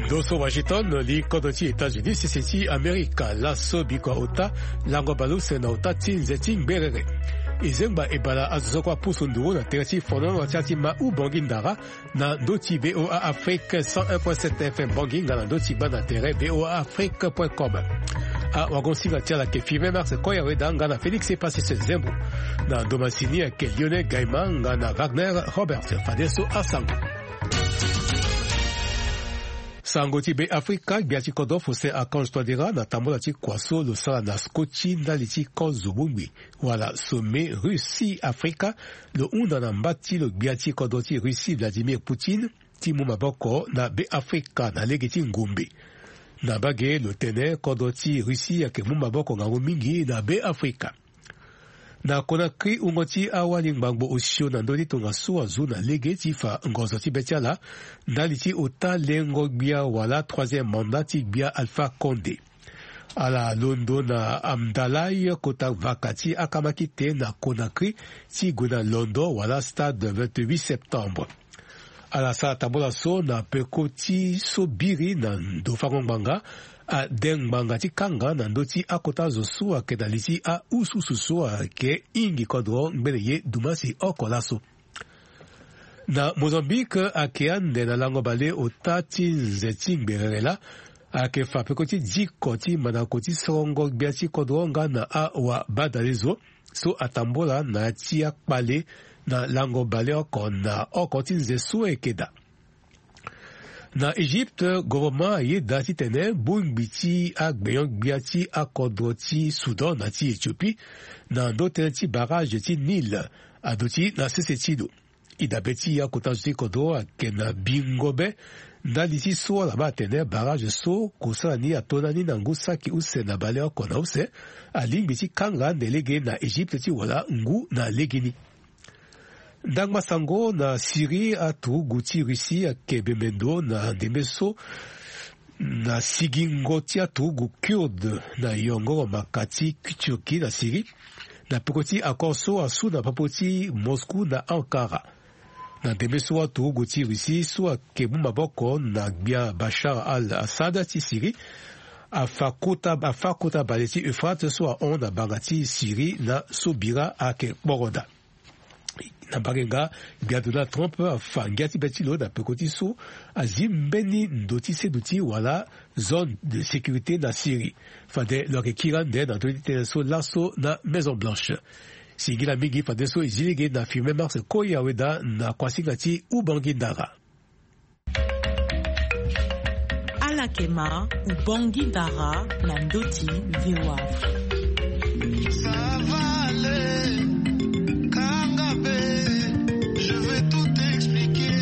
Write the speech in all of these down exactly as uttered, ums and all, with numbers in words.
Ndo so Washington, li kodro ti États-Unis, sese ti Amerika. Laso bikua ota, lango baleuse na ota ti nze ti ngberere. E zengba e bala azo so kue apusu nduru na tere ti fonono ti ya ti ma Ubongi Ndara, na ndö ti V O A Afrique cent un point sept F M Bangui, nga na ndö ti baa na tere V O A Afrique point com. Awagosinga ti ala ayeke Firmin Marx Koyaweda nga na Félix Epasis Zembo. Na ndo masini ayeke Lionel Gaima nga na Wagner Roberts. Fadeso asango. Sango ti Be Afrika, gbia ti kodro Faustin Archange Touadéra na tambola ti kua so lo sara na Scotty ndali ti kozo bongbi wala sommet Russie Afrika, lo hunda na mba ti lo gbia ti kodro ti Russie Vladimir Poutine ti mu maboko na Be Afrika na lege ti ngombe. Na mbage lo tene kodro ti Russie ayeke mu maboko ngangu mingi na Be Afrika. Na Conakry, wungo ti awali ngbangbo osio na ndö ti tongaso azu na lege ti fa ngonzo ti be ti ala ndali ti ota lengo gbia wala troisième mandat ti gbia Alpha Condé. Ala londo na Amdalaï, kota vaka ti akamakite na Conakry ti gue na londo wala stade vingt-huit septembre. Ala sara tambola so na peko ti so biri na ndo fango ngbanga, ade ngbanga ti kanga na ndö ti akota zo so ayeke na li ti aususu so ayeke hingi kodro ngbene ye dumasi oko laso. Na Mozambique, ayeke ande na lango bale ota ti nze ti ngberere laa, ayeke fa peko ti diko ti mandako ti sorongo gbia ti kodro nga na awabadalezo so atambola na ya ti akpale na lango bale oko na oko ti nze so ayeke daa. Na Egypte, gouvernement ayeda titene bongbi ti agbenyo-gbia ti akodro ti Soudan na ti Éthiopie na ndö tënë ti barrage ti Nil aduti na sese ti lo. E dabe ti akota zo ti kodro ayeke na bingo be ndali ti so ala baa atene barrage so kosala ni ato na ni na ngu saki use na baleoko na use, alingbi ti kanga ande lege na Egypte ti wala ngu na legeni. Ndangba sango na Syrie, aturugu ti Russie ayeke bembe ndo na ndembe so na sigingo ti aturugu Kurde na yongoro maka ti Turquie na Syrie, na peko ti accord so asu na popo ti Moscou na Ankara. Na ndembe so aturugu ti Russie so ayeke mu maboko na gbia Bashar al-Assad ti Syrie afa kota, afa kota bale ti Euphrate so ahon na banga ti Syrie na so bira ayeke kporoda. Na mbage nga, gbia Donald Trump afa ngia ti be ti lo na peko ti so azi mbeni ndo ti seduti wala zone de sécurité na Syrie. Fade lo yeke kiri ande na ndö ti tënë so laso na Maison Blanche. Singila mingi fadeso e zi lege na Firmin Marx Koyaweda na kuasinga ti Ubangui Ndara. Ala yeke ma Ubangui Ndara na ndö ti V O A Afrique. Ça va aller, kanga be, je vais tout expliquer.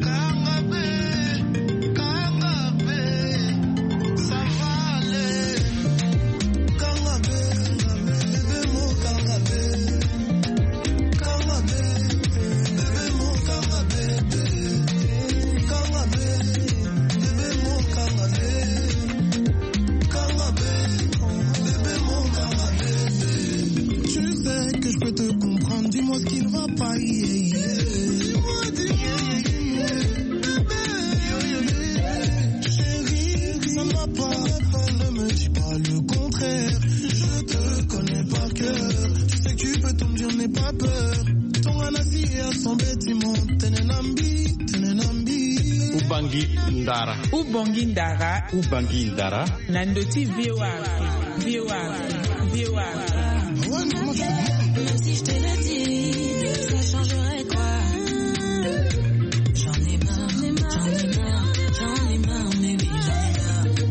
Kanga be, kanga be, ça va aller. Kanga be, kanga be, bebe mo kanga be. Tu sais que je peux te comprendre, dis-moi ce qui ne va pas. Yeah, yeah. Chérie, ça ne va pas. Ne me dis pas le contraire. Je te connais par cœur. Tu sais que tu peux tout me dire, n'aie pas peur. Tonga na si ya son bâtiment. Tenenambi, tenenambi. Ubangi Ndara. Ubongi Ndara. Ubangi Ndara. Na ndö ti V O A Afrique. V O A Afrique. V O A Afrique. Même si je te le dis, ça changerait quoi ? J'en ai marre, j'en ai marre, j'en ai marre, baby,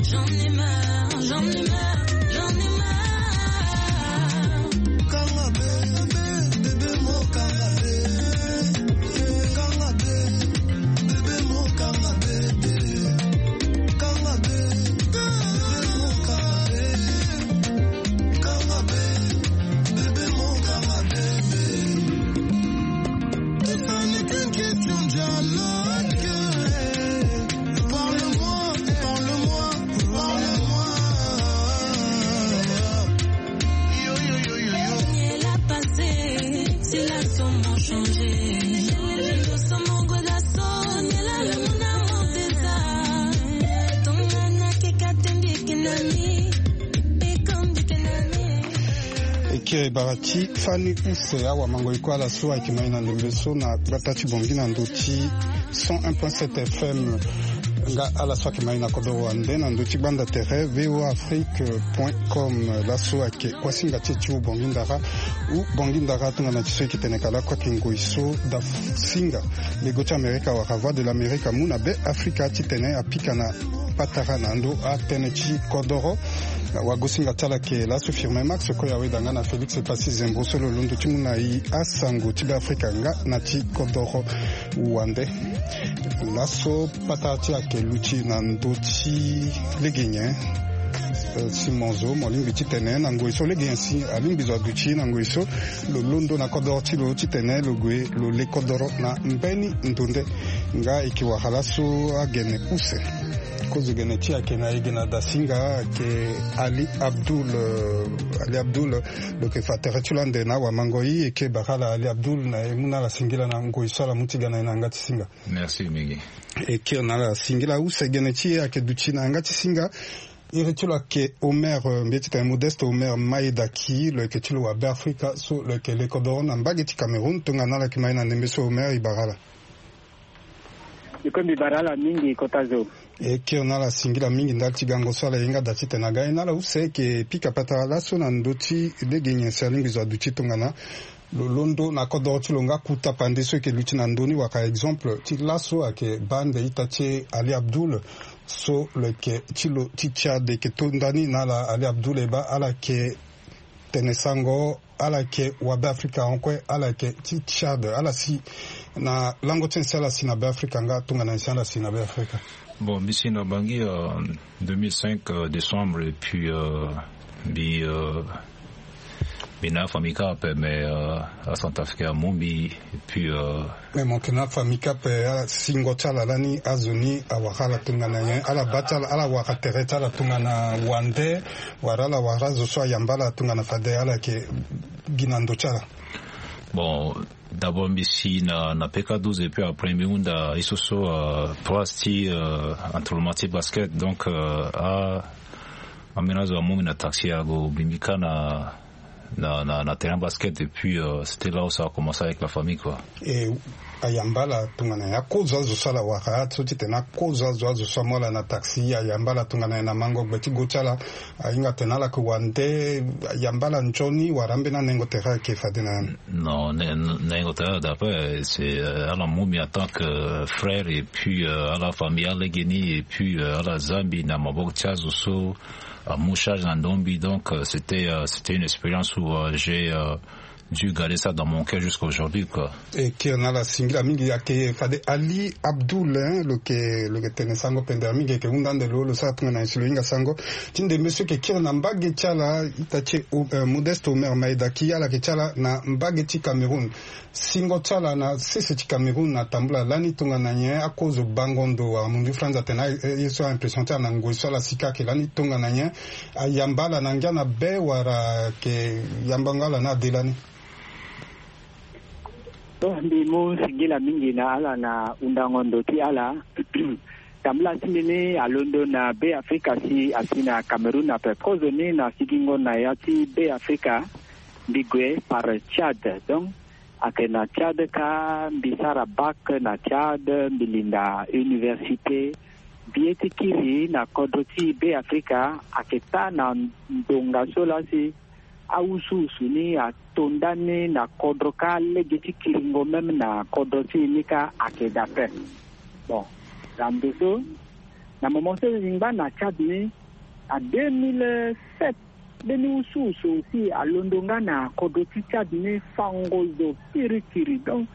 j'en ai marre, j'en ai marre, j'en ai marre, j'en ai marre. Bara ti fani use awamango e kue ala so ayeke ma e na ndembe so na gbata ti Bangui na ndö ti cent un point sept F M. Nga ala so ayeke ma e na kodoro wande na ndö ti gbanda tere V O A Afrique point com. Laso ayeke kuasinga ti e ti hu Bangui ndara. Hu Bangui ndara tongana ti so e yeke tene ka lakue ayeke ngoi so da singa lego ti Amerika wala Voix de l'Amerique amu na Be Afrika titene apika na patara na ndö atënë ti kodoro. Wagosinga ti ala ayeke laso Firmin Max Koya Weda nga na Félix Passy Zembo so lo londo ti mu na e asango ti Be Afrika nga na ti kodoro wande. Laso patara ti e ayeke luti na ndö ti lege nyen? Eh, si mo zo mo lingbi titene na ngoi so lege nyen si alingbi zo aduti na ngoi so lo londo na kodoro ti lo titene lo gue lo le kodoro na mbeni ndo nde. Nga e yeke wara laso agene use. Kozo gene ti e ayeke na e ge na dasinga ayeke Ali Abdoul, euh, Ali Abdoul, lo yeke fa tere ti lo ande na awamango. E yeke bara ala Ali Abdoul na e mu na ala singila na ngoi so ala mu ti ga na e na yanga ti singa. Merci mingi. E kiri na ala singila use. Gene ti e ayeke duti na yanga ti singa. Iri ti lo ayeke Omer, euh, mbi ye titene Modeste Omer Maedaki, lo yeke ti lo wa Be Afrika so lo yeke le kodoro na mbage ti Cameroun. Tongana ala yeke ma e na ndembe so Omer, e bara ala. Biko mbi bara ala mingi kota zo. E kiri na ala singila mingi ndali ti gango so ala ye nga da titene aga e na ala use. E yeke pika patara laso na ndö ti lege nyen si alingbi zo aduti tongana lo londo na kodoro ti lo nga kota pande so e yeke luti na ndö ni wala exemple ti laso ayeke baa ande ita ti e Ali Abdoul so lo yeke ti lo ti Tchad. E yeke to ndani na ala Ali Abdoul e baa ala yeke tene sango, ala yeke wa Be Afrika hon kue, ala yeke ti Tchad. Ala si na lango ti nyen si ala si na Be Afrika nga tongana nyen si ala si na Be Afrika? Bon, mbi si na Bangui, euh, deux mille cinq, euh, décembre, et puis, euh, mbi, euh, mbi na afamille kâ ape, mais, euh, aCentrafricain amu mbi, et puis, euh, mais mo yeke na afamille kâ ape, ala singo ti ala lani azo ni awara ala tongana nyen? Ala baa ti ala, ala wara tere ti ala tongana wande, wala ala wara azo so ayamba ala tongana fade ala yeke gi na ndo ti ala? Bon, d'abord mbi si na, na P K douze, et puis après mbi hunda ye so so, euh, place ti, euh, entraînement ti basket. Donc, euh, a, ambeni azo amu mbi na taxi ague bi mbi kâ na, na, na, na terrain basket, et puis, euh, c'était là où ça a commencé avec la famille, quoi. E ayamba ala tongana nyen? Akozo azo so ala wara so titene akozo azo, azo so amu ala na taxi, ayamba ala tongana nyen na mango gbe ti go ti ala? Ahinga atene ala yeke wande, ayamba ala nzoni wala ambeni anengo tere ayeke fade na ya ni? Non, ne-, nengo tere ayeke da ape, c'est, euh, ala mu mbi en tant que frère, et puis, euh, ala fa mbi alegeni, et puis, euh, ala za mbi na maboko ti azo so amu charge na ndo mbi. Donc, euh, c'était, euh, c'était une expérience où, euh, j'ai, euh, dû garder ça dans mon cœur jusqu'à aujourd'hui, quoi. E kiri na ala singila mingi. Ayeke fade Ali Abdoul, hein, lo yeke, lo yeke tene sango pendere mingi, e yeke hunda ande lo, lo sara tongana nyen si lo hinga sango ti ndembe so e yeke kiri na mbage ti ala, ita ti e, euh, Modeste Omer Maedaki, ala yeke ti ala na mbage ti Cameroun. Singo ti ala na sese ti Cameroun atambula lani tongana nyen? Akozo bango ndo wala mundu ti France atene, eh, ye so a-impression ti ala na ngoi so ala si kâ ayeke lani tongana nyen? Ayamba ala na ngia na be wala ayeke yambango ala ni ade lani? Bon, mbi mu singila mingi na ala na hundango ndo ti ala. Tambula ti mbi ni alondo na Be Afrika si asi na Cameroun ape. Kozo ni na sigingo na ya ti Be Afrika, mbi gue par Tchad. Donc, ayeke na Tchad kâ, mbi sara bac na Tchad, mbi linda université. Mbi ye ti kiri na kodro ti Be Afrika, ayeke taa na ndonga so laa si awusuwusu ni ato ndani na kodro kâ, lege ti kiringo même na kodro ti e ni kâ ayeke daa ape. Bon, na ndo so, na moment so e ngba na Tchad ni, na deux mille sept, mbeni wusuwusu aussi alondo nga na kodro ti Tchad ni, fango zo kirikiri. Donc,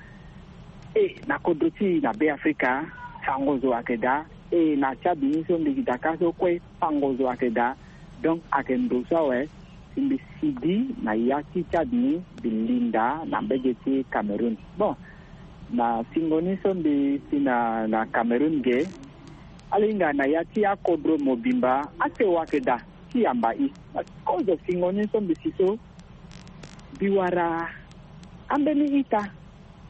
e, na kodro ti e na Be Afrika, fango zo ayeke daa. E, na Tchad ni so mbi yeke daa kâ so kue, fango zo ayeke daa. Donc, ayeke ndo so awe, si mbi sigi na ya ti Tchad ni, mbi linda na mbage ti Cameroun. Bon, na singo ni so mbi si na, na Cameroun ge, ala hinga na ya ti akodro mobimba, asewa ayeke daa ti yamba e. Kozo singo ni so mbi si so, mbi wara ambeni ita.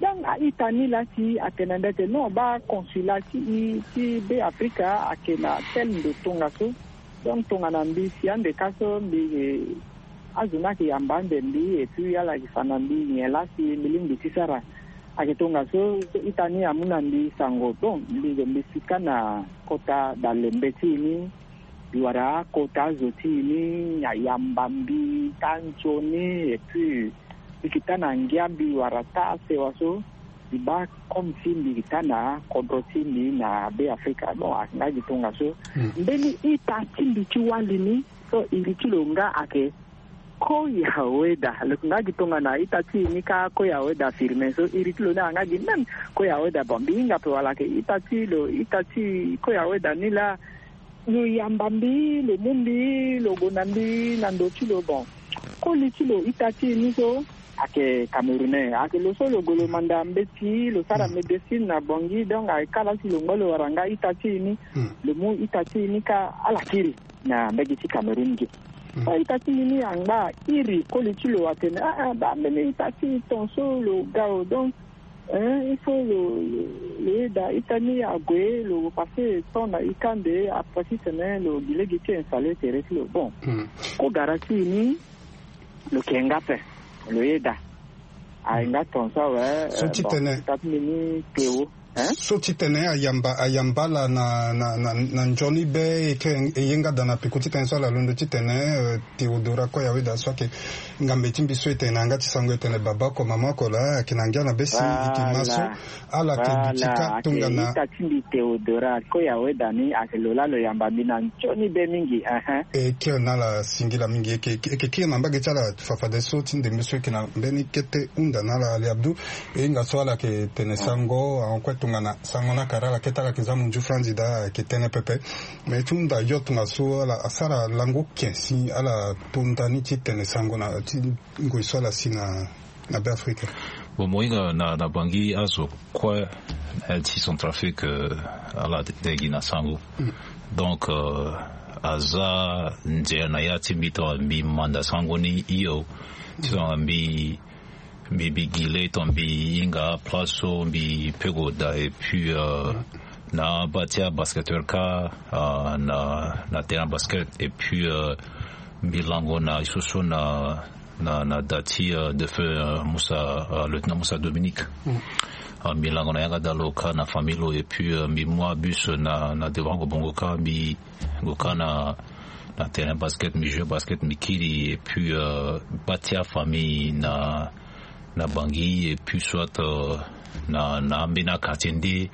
Donc a-ita ni laa si atene na mbi atene non, baa consulat ti e ti Be Afrika ayeke na tel ndo tongaso. Donc tongana mbi si ande kâ so mbi, eh, Azo ni ayeke yamba ande mbi, et puis ala yeke fa na mbi nyen laa si mbi lingbi ti sara. Ayeke tongaso, ita ni amu na mbi sango, bon, mbi zo mbi sika na kota dalembe ti e ni, mbi wara akota azo ti e ni ayamba mbi taa nzoni, et puis mbi yeke taa na ngia mbi wara taa sewa so, mbi baa comme si mbi yeke taa na kodro ti mbi na Be Afrika. Bon, ayeke nga gi tongaso. Mbeni ita ti mbi ti wali ni, so iri ti lo nga ayeke Koya Weda. Lo yeke nga gi tongana ita ti e ni kâ, Koya Weda Firmin, so iri ti lo ni ayeke nga gi même Koya Weda. Bon, mbi hinga ape wala ayeke ita ti lo, ita ti Koya Weda ni laa, lo yamba mbi, lo mu mbi, lo gue na mbi na ndo ti lo. Bon, koli ti lo, ita ti e ni so ayeke Camerounais, ayeke lo so lo gue lo manda mbeti, lo sara médecine na Bangui, donc ayeke kâ laa si lo ngba lo wara nga ita ti e ni, lo mu ita ti e ni kâ, ala kiri na mbage ti Cameroun ge. So ita ti mbi ni angba iri koli ti lo atene, ah, ah, baa mbeni ita ti e ton so lo ga o, donc, hein, il faut lo, lo, lo yeda ita ni ague, lo passé temps na e kâ ande, après titene lo gi lege ti installé tere ti lo. Bon, kogara ti e ni, lo ke nga ape, lo yeda. Aye nga ton so awe. So titene, ita ti mbi ni Théo. So titene ayamba, ayamba ala na, na, na, na nzoni be, e ke e ye nga daa na peko titene so ala londo titene, euh, Théodora Koya Weda so ayeke ngambe ti mbi so e tene na yanga ti sango e tene baba oko mama oko laa, ayeke na ngia na be si e ke ma so. Ala yeke duti kâ tongana ita ti mbi Théodora Koya Weda ni, ayeke lo laa lo yamba mbi na nzoni be mingi, ehe. E kiri na ala singila mingi, e ke, e ke kiri na mbage ti ala fafadeso ti ndembe so e ke na mbeni kete hunda na ala Ali Abdou. E hinga so ala yeke tene sango, ahon kue tongana sango ni akara ala kete, ala yeke za munzu franzi daa, ayeke tene pepe. Me ti hunda yo tongaso ala asara lango ken si ala to ndani ti tene sango na ti ngoi so ala si na, na Be Afrika. Bon, mo hinga na, na Bangui azo kue, eh, ti Centrafrique, eh, ala de gi na sango. Donc, eh, aza nzere na ya ti mbi tongana mbi manda sango ni hio. Ti tongana mbi, mbi, mbi gi le tongana mbi hinga aplace so mbi peut gue daa, et puis, eh, na abaa ti abasketteur kâ, eh, na, na terrain basket, et puis, eh, mbi lango na e so so na, na, na da ti, eh, défunt, eh, Moussa, eh, lieutenant Moussa Dominique. Eh, mbi lango na yanga daa lo kâ na famille lo, et puis, eh, mbi mu abus na, na devant Kobongo kâ, mbi gue kâ na, na terrain basket, mbi joue basket, mbi kiri, et puis, eh, baa ti afamille na, na Bangui, et puis soit, eh, na, na ambeni quartier nde,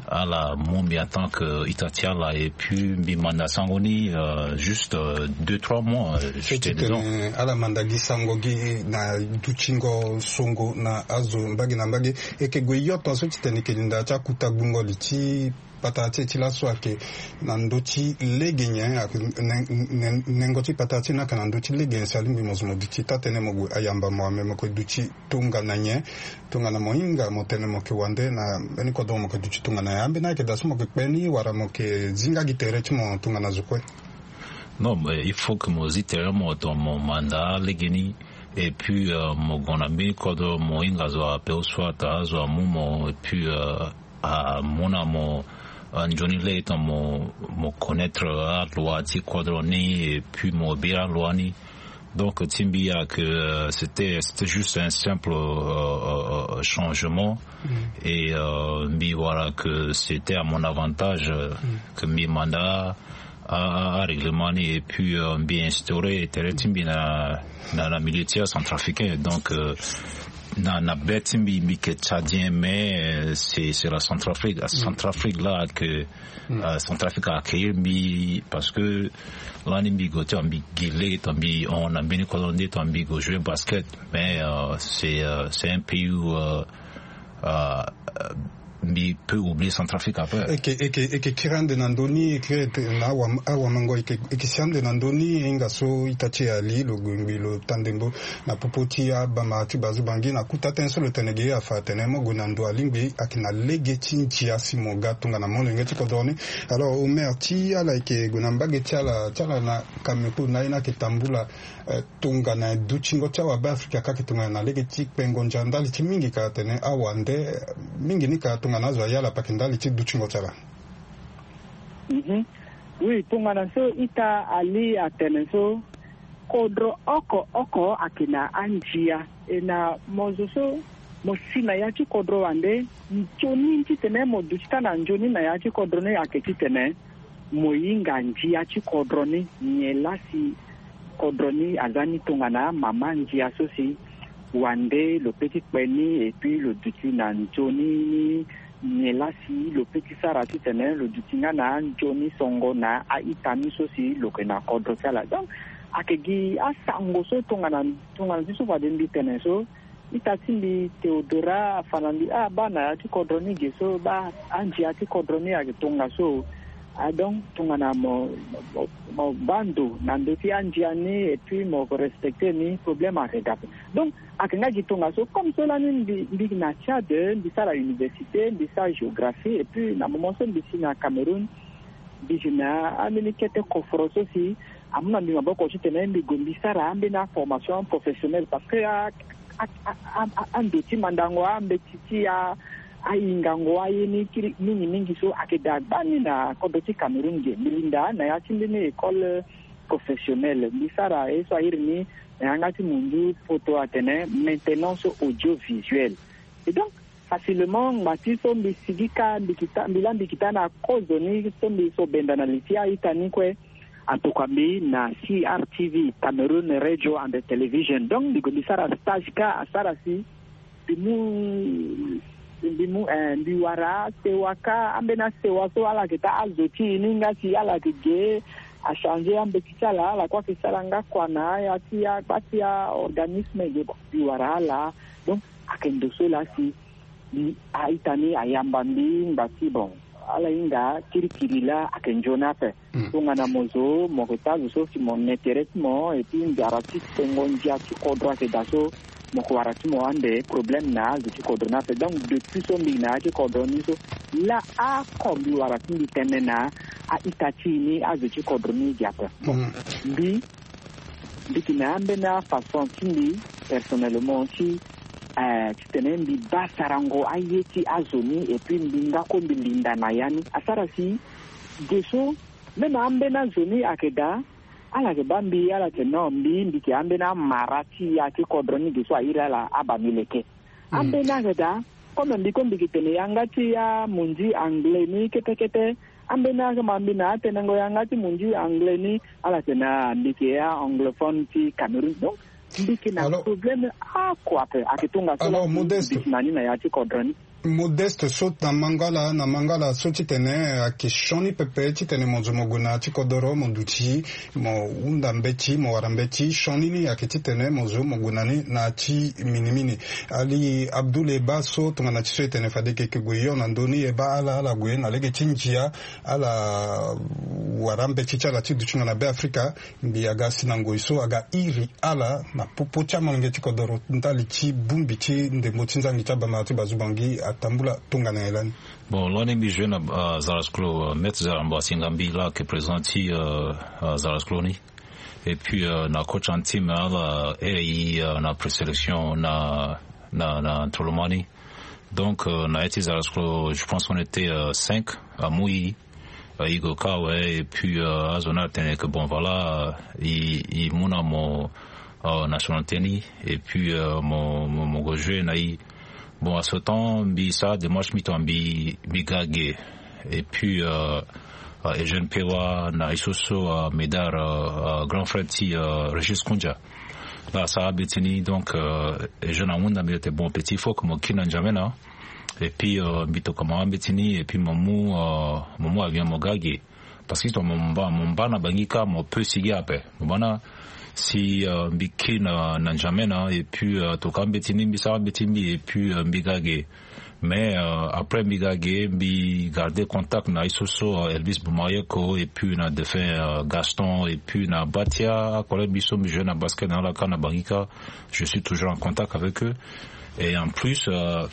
ala mu mbi en tant que ita ti ala, et puis mbi manda sango ni, eh, juste, eh, deux, trois mois, eh, j'étais dedans. Titene ala manda gi sango gi na dutingo songo na azo mbage na mbage, e ke gue yo tongaso titene e ke linda ti akuta gbungo li ti patara ti e ti laso ayeke na ndö ti lege nyen, ayeke nen-, nen-, nengo ti patara ti e ni ayeke na ndö ti lege nyen si alingbi mo zo mo duti taa-tënë mo gue ayamba mo, ame mo yeke duti tongana nyen? Tongana mo hinga mo tene mo yeke wande na mbeni kodro mo yeke duti tongana nyen? Ambeni ayeke daa so mo yeke kpe ni wala mo yeke zi nga gi tere ti mo tongana zo kue? Non, mais il faut que mo zi tere mo tongana mo manda legeni. Et puis, euh, mo gue na mbeni kodro mo hinga zo ape ou soit azo amu mo, et puis, euh, amu na mo, euh, nzoni lege tongana mo, mo connaître aloi ti kodro ni, et puis mo bira aloi ni. Donc ti mbi ayeke, euh, c'était, c'était juste un simple, euh, euh, euh, changement. Et, euh, mbi wara que c'était à mon avantage, euh, que mbi manda a, a, arèglement ni, et puis, euh, mbi instauré tere ti mbi na, na, na milieu ti acentrafricain. Donc, euh, na, na be ti mbi, mbi yeke tchadien, mais, euh, c'est, c'est la Centrafrique. La Centrafrique là que, euh, Centrafrique a accueillir mbi parce que lani mbi gue ti mbi gi lege tongana mbi hon na mbeni kodro nde tongana mbi gue jouer basket. Mais, euh, c'est, euh, c'est un pays où, euh, euh, mbi peut oublier Centrafrique après. Eke, eke, eke kiri ande na ndö ni, eke na awa, awamango, eke, eke si ande na ndö ni, e hinga so ita ti e ali, lo gue ngbii lo taa ndembo na popo ti abama ti bazu Bangui na kuta tënë so lo tene ge afa atene mo gue na ndo alingbi ayeke na lege ti ndia si mo ga tongana molenge ti kodro ni. Alors, Omer, ti ala eke gue na mbage ti ala, ti ala na Cameroun, na ye ni ayeke tambula, eh, tongana dutingo ti awabeafrika kâ ayeke tongana na lege ti kpengo ndia ndali ti mingi ka atene awande, mingi ni ka tongana azo aya ala pake ndali ti dutingo ti ala. Mhm. Oui, tongana so ita ali atene so, Kodro oko oko ayeke na andia. E na mo zo so mo si na ya ti kodro wande, nzoni titene mo duti taa na nzoni na ya ti kodro ni ayeke titene mo hinga ndia ti kodro ni. Nyen laa si kodro ni aza ni tongana mama ndia so si wande lo pe ti kpe ni, et puis lo duti na nzoni ni. Nyen laa si lo pe ti sara titene lo duti nga na anzoni songo na a-ita ni so si lo yeke na kodro ti ala? Donc ayeke gi asango so tongana tongana ti so fade mbi tene so, ita ti mbi Théodora afa na mbi, ah, baa na ya ti kodro ni ge so, baa andia ti kodro ni ayeke tongaso. Ah, donc tongana mo mo, mo baa ndo na ndö ti andia ni et puis mo respecte ni, problème ayeke ga ape. Donc ayeke nga gi tongaso. Comme so lani mbi mbi na Tchad, mbi sara université, mbi sara géographie, et puis na moment so mbi si na Cameroun, mbi si na ambeni kete koforo so si amu na mbi maboko titene mbi gue mbi sara ambeni aformation professionnelle, parce que a a a a ando ti mandango ambeti ti a ahingango aye ni kiri mingi mingi so ayeke daa gbani na kodro ti Cameroun ge. Mbi linda na ya ti mbeni école professionnelle, mbi sara ye so a iri ni na yanga ti mundu poto atene maintenance audiovisuelle. Et donc facilement ngbati so mbi sigi kâ, mbi kita mbi laa mbi kita na kozo ni so mbi so benda na li ti a-ita ni kue, atokua mbi na C R T V, Cameroun Radio and Television. Donc mbi gue mbi sara stage kâ, asara si mbi mu mbi mu eh, mbi wara sewa kâ, ambeni asewa so ala yeke taa azo ti e ni nga si ala yeke ge, achangé ambeti ti ala, ala kue ayeke sara nga kua na aya ti agba ti aorganisme ge. Bon, mbi wara ala. Donc ayeke ndo so laa si a-ita ni ayamba mbi ngba ti bon, ala hinga kirikiri laa ayeke nzoni ape. Tongana mo zo mo yeke taa zo so si mo ne tere ti mo, et puis nzara ti tongo ndia ti kodro ayeke daa so, mo yeke wara ti mo ande problème na azo ti kodro ni ape. Donc depuis so mbi yeke na ya ti kodro ni so, laa oko mbi wara ti mbi tene na a-ita ti e ni, azo ti kodro ni ge ape. Mbi mbi yeke na ambeni afaçon ti mbi personnellement ti eh, titene mbi baa sarango aye ti azo ni, et puis mbi nga kue mbi linda na ya ni. Asara si ge so même ambeni azo ni ayeke daa, ala yeke baa mbi, ala yeke non, mbi mbi yeke ambeni amara ti ya ti kodro ni ge so a iri ala abaa mbi leke. Ambeni ayeke daa, comme mbi kue mbi yeke tene yanga ti amunzi anglais ni kete kete. Ambeni ayeke ma mbi na atenengo yanga ti munzi anglais ni, ala tene ah, mbi yeke aanglophone ti Cameroun. Donc mbi yeke na problème oko ape. Ayeke tongaso laa mbi si na ni na ya ti kodro ni. Modeste, so na mangala na mangala so titene ayeke sioni pepe titene mo zo mo gue na ya ti kodoro, mo duti, mo hunda mbeti, mo wara mbeti, sioni ni ayeke titene mo zo mo gue na ni na ya ti minimini. Ali Abdoul, e baa so tongana ti so e tene fade e yeke gue hio na ndö ni, e baa ala ala gue na lege ti ndia, ala wara mbeti ti ala ti dutinga na Beafrika. Mbi aga si na ngoi so aga iri ala na popo ti amolenge ti kodoro ndali ti bongbi ti ndembo ti nzangi ti abamara ti bazubangi atambula tongana nyen lani? Bon, lani mbi joué na euh, Zarasklo, euh, maître Zarambo asinga mbi laa ayeke président ti euh, euh, Zarasklo ni. Et puis euh, na coach en team ala iri euh, na présélection na na na Tolomani. Donc euh, na ya ti Zarasklo, je pense qu'on était euh, cinq à Mouyi. Euh, i go kâ awe, et puis euh, azo ni atene que bon, voilà, euh, i i mu na mo euh, nationalité ni, et puis euh, mo mo mo go joué na i. Bon, à ce temps mbi sara démarche, mbi tongana mbi mbi ga ge. Et puis euh, euh, Eugène Pewa na i so so euh, Médard, euh, euh, grand frère ti euh, Régis Koundia, la asara mbeti ni. Donc euh, Eugène ahunda mbi atene bon, petit, il faut que mo kiri na N'Djamena. Et puis euh, mbi tokua mo ambeti ni, et puis mo mu euh, mo mu avion mo ga ge. Parce que tongana mo mba mo mba na Bangi kâ, mo peut sigi ape. Mo mba na si euh, mbi kiri na na N'Djamena, et puis euh, tokua ambeti ni, mbi sara mbeti mbi, et puis euh, mbi ga ge. Mais euh, après mbi ga ge, mbi garder contact na i so so euh, Elvis Boumayoko, et puis na défunt euh, Gaston, et puis na bâ ti acollègue mbi so mbi joué na basket na ala kâ na Bangi kâ. Je suis toujours en contact avec eux. Et en plus euh,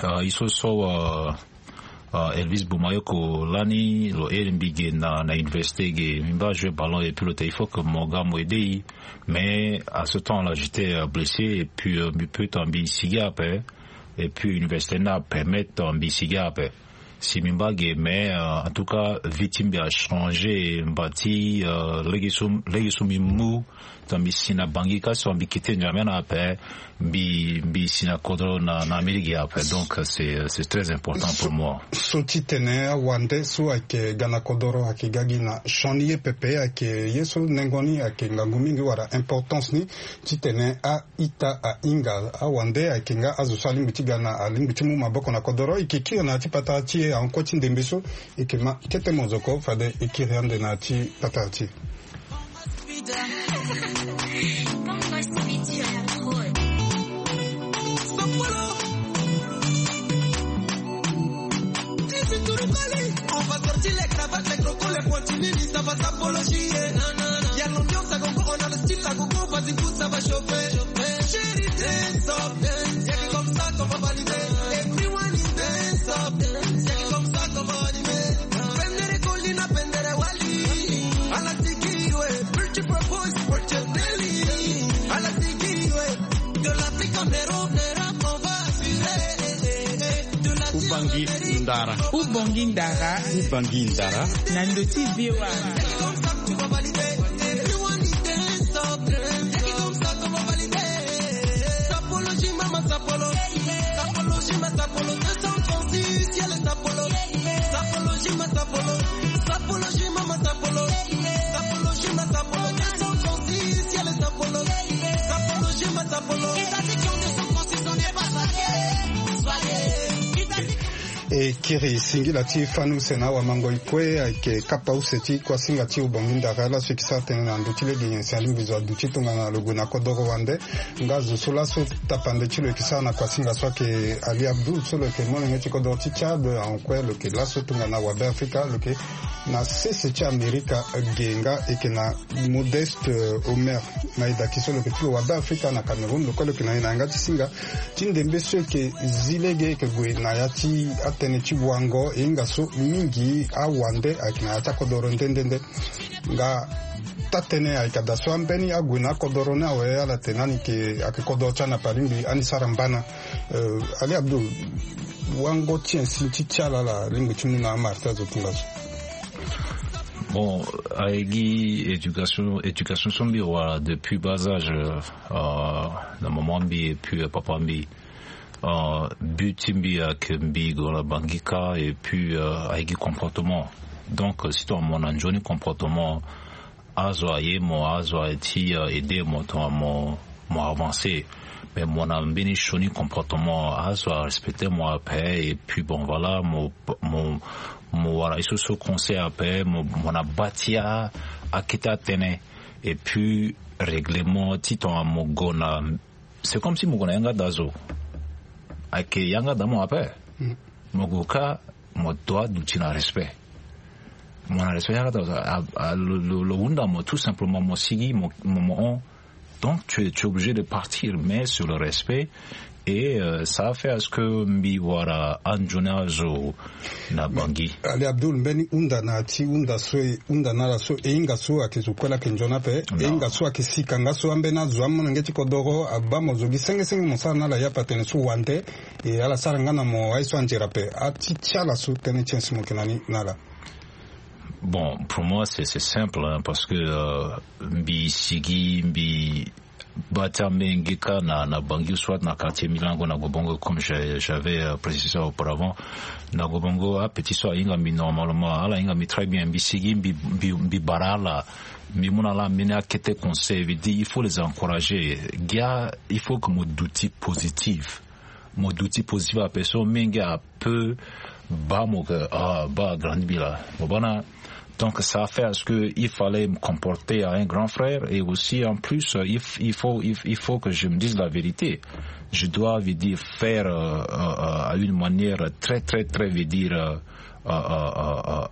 euh, i so so euh, euh, Elvis Boumayoko lani lo iri mbi ge na na université ge, mbi mba joué ballon, et puis lo tene il faut que mo ga mo aider i. Mais à ce temps là j'étais euh, blessé, et puis euh, mbi peut tongana mbi sigi ape. Et puis université ni apermettre tongana mbi sigi ape. Si mbi mba ge, mais en tout cas vie ti mbi achangé. Mba ti lege so mbi mu, tongana mbi si na Bangui ka, so mbi kite Ndjamena ape, mbi mbi si na kodoro na Amérique ape. Donc c'est très important pour moi. So ti tene awande so ayeke ga na kodoro ayeke ga gi na sioni ye pepe, ayeke ye so nengo ni ayeke ngangu mingi wala importance ni. Ti tene a ita ahinga awande ayeke nga azo so alingbi ti ga na alingbi ti mu maboko na kodoro. E yeke kiri na ya ti patara ti e ahon kue ti ndembe so. E yeke ma kete mozoko fade e kiri ande na ya ti patara ti e. On va sortir les cravates, les crocos, les pointilles, ça va s'apologie. Il y a l'ambiance à gogo, on a le style à gogo, vas-y, pousse, ça va chauffer. Chérie, dance up, dance. Y a que comme ça qu'on va valider. Everyone is dance up, dance. Y a que comme ça qu'on va animer. Pendere Colina, pendere Wali. À la Tiki, ouais. Pretty Purpose, pretty Nelly. À la Tiki, ouais. De l'Afrique en Europe, Europe, on va assurer. Ubangi ndara. Ubangi ndara. Ubangi ndara. Na ndö ti V O A. E kiri singila ti fani use na awamangoi kue ayeke kapa use ti kuasinga ti Ubangi ndara laso e yeke sara tënë na ndö ti lege nyen si alingbi zo aduti tongana lo gue na kodoro wande. Nga zo so laso tapande ti lo yeke sara na kuasinga so ayeke Ali Abdoul so lo yeke molenge ti kodoro ti Tchad, ahon kue lo yeke laso tongana wabe Afrika, lo yeke na sese ti Amerika ge. Nga e yeke na Modeste Omer Maïdaki so lo yeke ti lo wabe Afrika na Cameroun, lo kue lo yeke na e na yanga ti singa ti ndembe so e yeke zi lege e yeke gue na ya ti atënë ti wango e hinga so mingi awande ayeke na ya ti akodoro nde nde nde. Nga taa-tënë ayeke daa so ambeni ague na akodoro ni awe ala tene ani yeke ayeke kodoro ti ala na palingbi ani sara mbana. Ali Abdoul, wango ti insi ti ti ala ala alingbi ti mu na amara ti azo tongaso? Bon, aye gi éducation, éducation so mbi wara depuis bas âge, euh, na maman mbi et puis euh, papa mbi. Euh, but ti mbi ayeke mbi gue na Bangui ka et puis euh, aye gi comportement. Donc euh, si tongana mo na nzoni comportement, azo aye mo, azo aye ti euh, aider mo tongana mo mo avancer. Mais mo na mbeni sioni comportement, azo arespecter mo ape. Et puis bon, voilà, mo mo mo wara ye so so conseil ape, mo mo na bâ ti akete atënë. Et puis règlement ti tongana mo gue na, c'est comme si mo gue na yanga daa zo. Ayeke yanga daa mo ape. Mo gue ka, mo doit duti na respect. Mo na respect yanga daa zo. Lo hunda mo tout simplement, mo sigi mo mo hon. Donc tu es obligé de partir, mais sur le respect. Et euh, ça a fait à ce que mbi wara anzoni azo na Bangui. Ali Abdoul, mbeni hunda na ya ti hunda so e hunda na ala so e hinga so ayeke zo kue laa ayeke nzoni ape. E hinga so ayeke sika nga so ambeni azo amolenge ti kodoro abaa mo zo gi senge senge mo sara na ala yape atene so wande. E ala sara nga na mo aye so anzere ape. Ati ti ala so tënë ti insi mo yeke na ni na ala? Bon, pour moi c'est simple, parce que euh, mbi sigi mbi bâ ti ambenge ka na na Bangui, soit na quartier Milango na Gobongo, comme j'avais euh, précisé auparavant. Na Gobongo apetit so ahinga mbi normalement, ala hinga mbi très bien, mbi sigi mbi mbi bara ala. Mbi mu na ala mbeni akete conseil, veut dire il faut les encourager. Gia, il faut que mo duti positif. Mo duti positif ape so menge ape baa mo ke ah baa agrandi mbi laa. Mo baa na. Donc ça fait à ce que il fallait me comporter à un grand frère, et aussi en plus euh, il, il faut il, il faut que je me dise la vérité. Je dois, veut dire, faire euh, euh, à une manière très très très, veut dire euh, euh, euh, euh,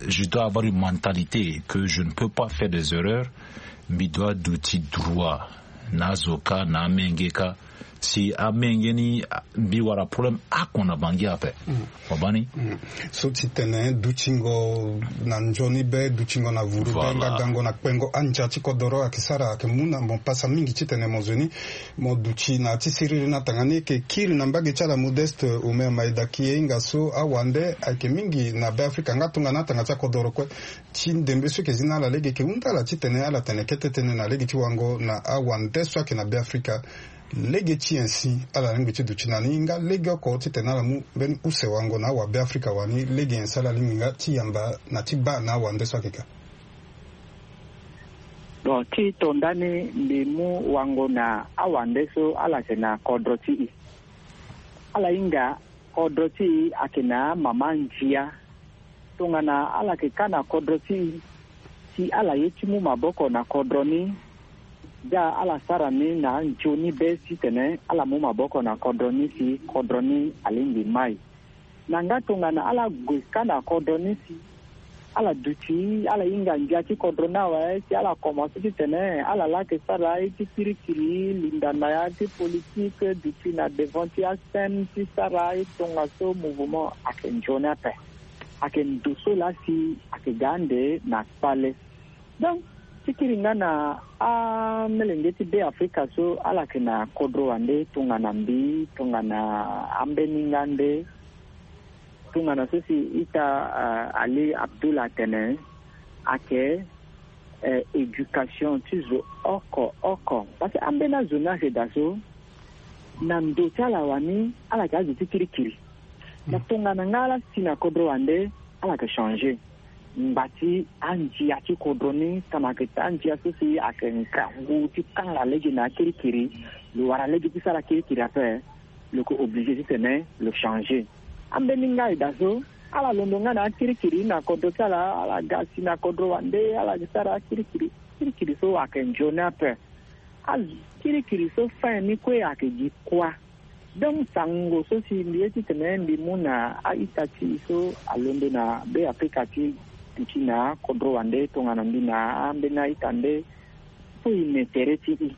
je dois avoir une mentalité que je ne peux pas faire des erreurs. Mbi doit duti droit na azo ka na amenge ka. Si amenge ni mbi wara problème oko na bangi ape. Wabani. So ti tene dutingo na nzoni be, dutingo na vuru be, nga gango na kpengo andia ti kodoro ayeke sara ayeke mu na mo pasa mingi ti tene mo zo ni mo duti na ya ti siriri ni atanga ni. Eke kiri na mbage ti ala Modeste Omer Maeda, ki ye hinga so awande ayeke mingi na Be Afrika nga tongana atanga ti akodoro kue. Ti ndembe so eke zi na ala lege eke hunda ala ti tene ala tene kete tënë na lege ti wango na awande so ayeke na Be Afrika. Lege ti nyen si ala lingbi ti duti na ni nga lege oko ti tene ala mu mbeni use wango na awabe Afrika wani? Lege nyen si ala lingbi nga ti yamba na ti baa na awande so ayeke ka? Bon, ti to ndani mbi mu wango na awande so ala yeke na kodro ti e. Ala hinga kodro ti e ayeke na mama ndia. Tongana ala yeke ka na kodro ti e, si ala ye ti mu maboko na kodro ni, da ala sara ni na anzoni be titene ala mu maboko na kodro ni si kodro ni alingbi mai. Na nga tongana ala gue ka na kodro ni si ala duti, ala hinga ndia ti kodro ni awe, si ala komanse titene ala laa yeke sara aye ti kirikiri, linda na ya ti politike, duti na devant ti ascène ti sara aye tongaso mouvement ayeke nzoni ape. Ayeke ndo so laa si ayeke ga ande na kpale. Donc ti kiri nga na amolenge ti Be Afrika so ala yeke na kodro wande tongana mbi, tongana ambeni nga nde, tongana so si ita, ah, Ali Abdul atene, ayeke, eh, éducation ti zo oko oko. Parce que ambeni azo ni ayeke daa so na ndo ti ala wani ala yeke azo ti kirikiri. Na tongana nga ala si na kodro wande, ala yeke changer. Ngba ti andia ti kodro ni, tongana ayeke andia so si ayeke ngangu ti kanga lege na akirikiri, lo wara lege ti sara kirikiri ape, lo yeke oblige titene lo changer. Ambeni nga e daa so ala londo nga na akirikiri na kodro ti ala, ala ga si na kodro wande, ala ga sara akirikiri. Kirikiri so ayeke nzoni ape. Azo kirikiri so fin ni kue ayeke gi kuâ. Donc sango so si mbi ye titene mbi mu na a-ita ti e so alondo na Be Afrika ti duti na kodro wande tongana mbi na ambeni a-ita nde, so e me tere ti e.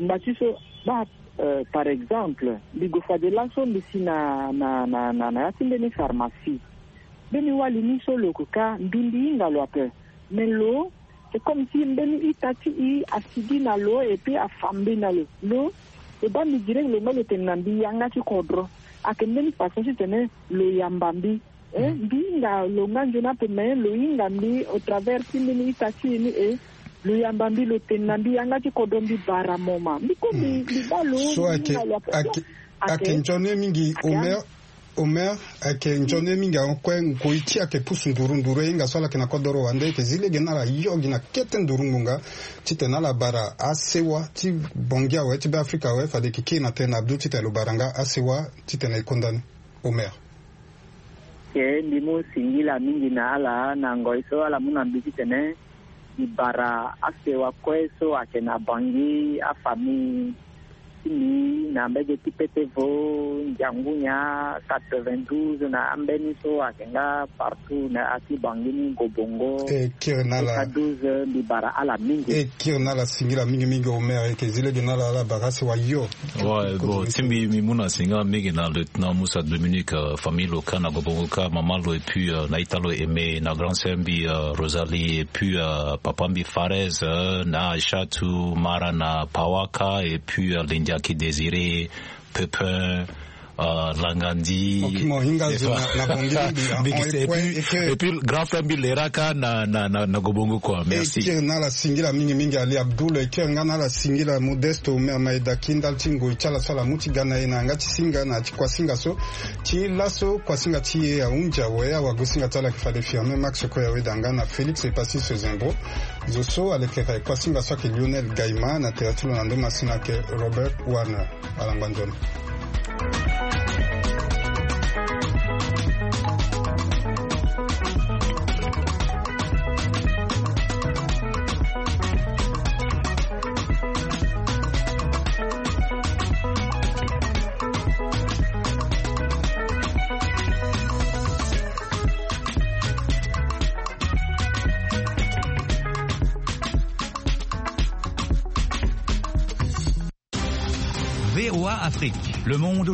Ngba ti so baa, euh, par exemple mbi gue fade laso mbi si na, na, na, na, na ya ti mbeni pharmacie. Mbeni wali ni so lo yeke ka ndundi hinga lo ape. Mais lo c'est comme si mbeni ita ti e asigi na lo et puis afa mbi na lo. Lo, lo baa mbi direct, lo me lo tene na mbi yanga ti kodro. Ayeke mbeni façon titene lo yamba mbi. Eh, mbi hinga lo nga nzoni ape, mais lo hinga mbi au travers ti mbeni ita ti e ni, eh, lo yamba mbi, lo tene na mbi yanga ti kodro, mbi bara mo ma. Mbi kue mbi, mbi baa lo, so mbi ayeke, hinga lo ape. Ayeke, ayeke nzoni mingi, Omer. Omer, ayeke nzoni mingi, ahon kue ngoi ti e ayeke pusu nduru nduru, e hinga so ala yeke na kodoro wande, e yeke zi lege na ala yo gi na kete nduru ngbonga titene ala bara asewa ti Bangui awe, ti Be Afrika awe, fade e yeke kiri na tënë na Abdou titene lo bara nga asewa titene e konda ni. Omer. Ke mbi mu singila mingi na ala na ngoi so ala mu na mbi titene mbi bara asewa kue so ayeke na Bangui, afamille ti mbi na mbege ti Petevo, Ndiangunya, quatre-vingt-douze, na ambeni so ayeke nga partout na ya ti Bangui ni, Gobongo, E kiri na ala. Eka douze, mbi bara ala mingi. E kiri na ala singila mingi mingi Omer, e yeke zi lege na ala, ala bara asewa yo. Ouais, bon, ti mbi, mbi mu na singila mingi na lieutenant Moussa Dominique, euh, famille lo ka na Gobongo ka, mama lo, et puis, euh, na ita lo Aimé, na grand sœur mbi, euh, Rosalie, et puis, euh, papa mbi Farez, euh, na Aïchatou, Mara na Pawaka, et puis, euh, Lindiaki Désiré, Pépin, euh, Langandi. Ok, mo hinga zo na, na Bangui mingi, hein. Big, et puis, et puis, grand frère mbi Leraka na, na, na, na Gobongo, quoi. Merci. E kiri na ala singila mingi mingi Ali Abdoul, e kiri nga na ala singila Modeste Omer Maeda, ki ndali ti ngoi ti ala so ala mu ti ga na e na yanga ti singa na ti kuasinga so. Ti laso kuasinga ti e ahunzi awe, awagosinga ti ala ayeke fade Firmin Max Koyawe, da nga na Félix Epassis Zembro. Zo so alekere kuasinga so ayeke Lionel Gaima, na tere ti lo na ndo masina ayeke Robert Warner. Ala ngba nzoni. V O A Afrique, le monde.